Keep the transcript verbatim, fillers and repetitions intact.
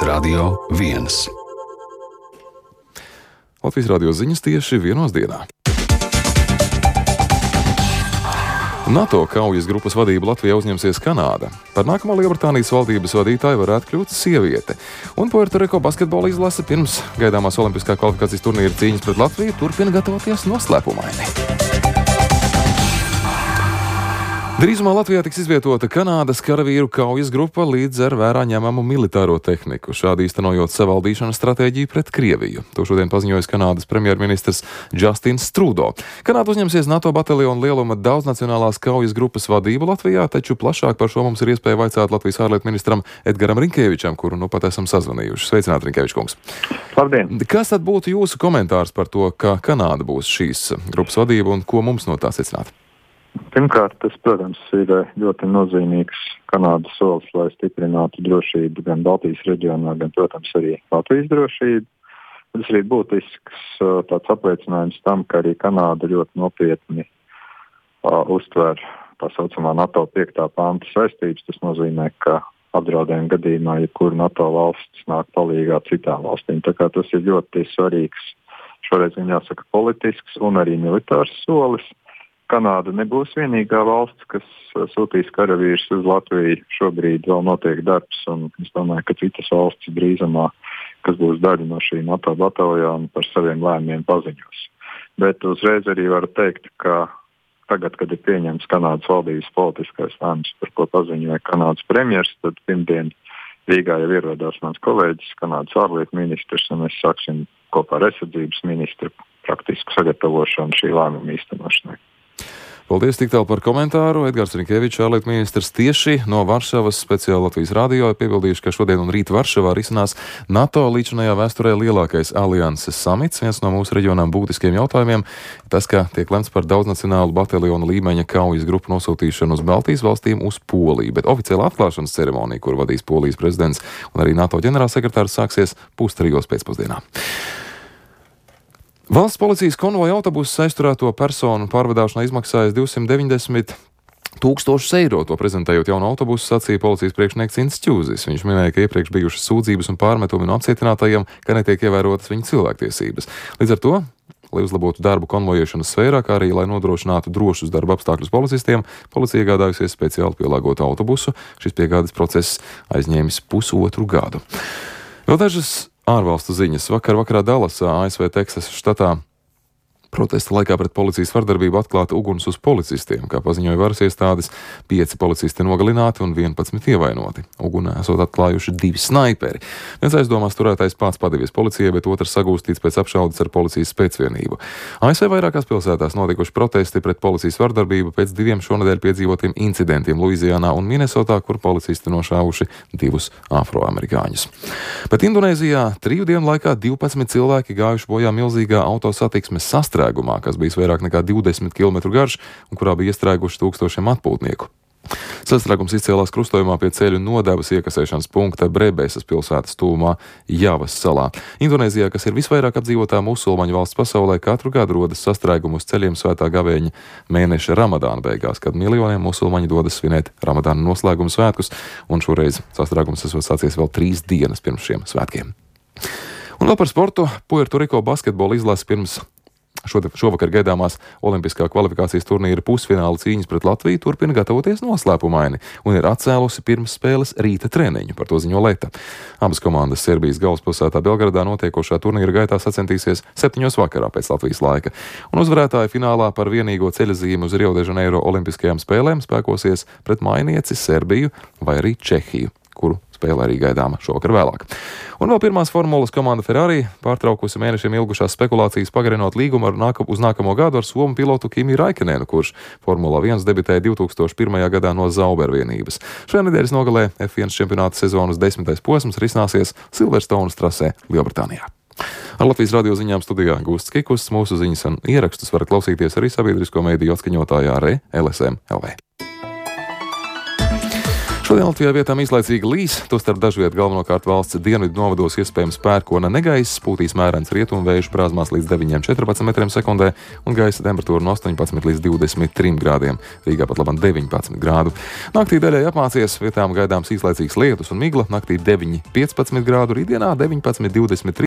Radio viens. Latvijas radio ziņas tieši vienos dienā. NATO kaujas grupas vadību Latvijā uzņemsies Kanāda. Par nākamo Lielbritānijas valdības vadītāju varētu kļūt sieviete. Un Puerto Rico basketbola izlase pirms gaidāmās olimpiskā kvalifikācijas turnīra cīņas pret Latviju turpina gatavoties noslēpumaini. Drīzumā Latvijā tiks izvietota Kanādas karavīru kaujas grupa līdz ar vērā ņemamu militāro tehniku, šādi īstenojot savaldīšanas stratēģiju pret Krieviju. To šodien paziņojis Kanādas premjerministrs Justins Trudeau. Kanāda uzņemsies NATO bataljonu lieluma daudznacionālās kaujas grupas vadību Latvijā, taču plašāk par šo mums ir iespēja vaicāt Latvijas ārlietu ministram Edgaram Rinkēvičam, kuru nu pat esam sazvanījuši. Sveicināt, Rinkēvič kungs! Labdien! Kas tad būtu jūsu komentārs par to, ka Kanāda būs šīs grupas vadība un ko mums no tā secināt? Pirmkārt, tas, protams, ir ļoti nozīmīgs Kanādas solis, lai stiprinātu drošību gan Baltijas reģionā, gan, protams, arī Latvijas drošību. Tas arī būtisks tāds apliecinājums tam, ka arī Kanāda ļoti nopietni uh, uztver tā saucamā NATO piektā panta saistības. Tas nozīmē, ka apdraudējuma gadījumā jebkura NATO valsts nāk palīgā citām valstīm. Tā kā tas ir ļoti svarīgs, šoreiz viņam jāsaka politisks un arī militārs solis. Kanāda nebūs vienīgā valsts, kas sūtīs karavīrus uz Latviju. Šobrīd vēl notiek darbs, un es domāju, ka citas valstis drīzumā, kas būs daļa no šī NATO bataljona, par saviem lēmumiem paziņos. Bet uzreiz arī varu teikt, ka tagad, kad ir pieņemts Kanādas valdības politiskais lēmums, par ko paziņoja Kanādas premjers, tad pirmdien Rīgā jau ierodās mans kolēģis, Kanādas ārlietu ministrs, un mēs sāksim kopā ar aizsardzības ministru praktisku sagatavošanu šī lēmuma īstenošanai. Paldies tik tālu par komentāru. Edgars Rinkēvičs, ārlietu ministrs, tieši no Varšavas speciāli Latvijas radio ir piebildījuši, ka šodien un rīt Varšavā risinās NATO līdzinājā vēsturē lielākais alianses samits. Viens no mūsu reģionām būtiskiem jautājumiem tas, ka tiek lemts par daudznacionālu bataljonu līmeņa kaujas grupu nosūtīšanu uz Baltijas valstīm uz Poliju, bet oficiāla atklāšanas ceremonija, kur vadīs Polijas prezidents un arī NATO ģenerālsekretārs, sāksies pustrijos pēcpusdienā. Valsts policijas konvoja autobusu aizturēto personu pārvadāšanā izmaksājas divsimt deviņdesmit tūkstošus eiro. To prezentējot jaunu autobusu, sacīja policijas priekšnieks Ints Ķūzis. Viņš minēja, ka iepriekš bijušas sūdzības un pārmetumi no apcietinātajiem, ka netiek ievērotas viņu cilvēktiesības. Līdz ar to, lai uzlabotu darbu konvojēšanas sfērā, kā arī lai nodrošinātu drošus darba apstākļus policistiem, policija iegādājusies speciāli pielāgotu autobusu. Šis piegādes process aizņēmis pusotru gadu. Vēl dažas ārvalstu ziņas. Vakar vakarā Dalasā, A S V Teksasas štatā, protesta laikā pret policijas vardarbību atklāta uguns uz policistiem. Kā paziņoja varas iestādes, pieci policisti nogalināti un vienpadsmit ievainoti. Ugunā esot atklājuši divi snaiperi. Viens aizdomās turētais pats padevies policijai, bet otrs sagūstīts pēc apšaudes ar policijas spēcvienību. A S V vairākās pilsētās notikuši protesti pret policijas vardarbību pēc diviem šonedēļ piedzīvotiem incidentiem Luizijānā un Minesotā, kur policisti nošāvuši divus afroamerikāņus. Bet Indonēzijā triju dienu laikā divpadsmit cilvēki gājuši bojā milzīgā autosatiksmes sastrēgumā, kas bijis vairāk nekā divdesmit kilometru garš un kurā bija iestrēguši tūkstošiem atpūtnieku. Sastrēgums izcēlās krustojumā pie ceļu nodevas iekasēšanas punkta Brebesas pilsētas tuvumā Javas salā. Indonēzijā, kas ir visvairāk apdzīvotā musulmaņu valsts pasaulē, katru gadu rodas sastrēgumu uz ceļiem svētā gavēņa mēneša Ramadāna beigās, kad miljoniem musulmaņu dodas svinēt Ramadāna noslēguma svētkus, un šoreiz sastrēgums esot sācies vēl trīs dienas pirms šiem svētkiem. Un vēl par sportu. Puerto Rico basketbola izlase pirms Šovakar gaidāmās olimpiskā kvalifikācijas turnīra pusfināla cīņas pret Latviju turpina gatavoties noslēpumaini un ir atcēlusi pirms spēles rīta treniņu, par to ziņo Leta. Abas komandas Serbijas galvaspilsētā Belgradā notiekošā turnīra gaitā sacentīsies septiņos vakarā pēc Latvijas laika. Un uzvarētāji finālā par vienīgo ceļazīmi uz Rio de Janeiro olimpiskajām spēlēm spēkosies pret mainieci Serbiju vai arī Čehiju, kuru spēle arī gaidāma šovakar vēlāk. Un vēl pirmās formulas komanda Ferrari pārtraukusi mēnešiem ilgušās spekulācijas pagarinot līgumu ar nāka, uz nākamo gadu ar somu pilotu Kimi Raikenenu, kurš Formula viens debitēja divi tūkstoši pirmajā gadā no Zauber vienības. Šajā nedēļas nogalē F viens čempionāta sezonas desmitais posms risināsies Silverstones trasē Lielbritānijā. Ar Latvijas radio ziņām studijā Gusts Kikusts. Mūsu ziņas un ierakstus varat klausīties arī sabiedrisko mediju atskaņotājā Re L S M L V. Šodien Latvijā vietām īslaicīgi līs, tostarp dažviet galvenokārt valsts dienvidu novados iespējams pērkona negaiss, pūtīs mērens rietumvējš brāzmās līdz deviņiem četrpadsmit metriem sekundē un gaisa temperatūra no astoņpadsmit līdz divdesmit trim grādiem. Rīgā pat labam deviņpadsmit grādu. Naktī daļai apmācies, vietām gaidāms īslaicīgs lietus un migla, naktī deviņi piecpadsmit grādu, rītdienā deviņpadsmit divdesmit trīs.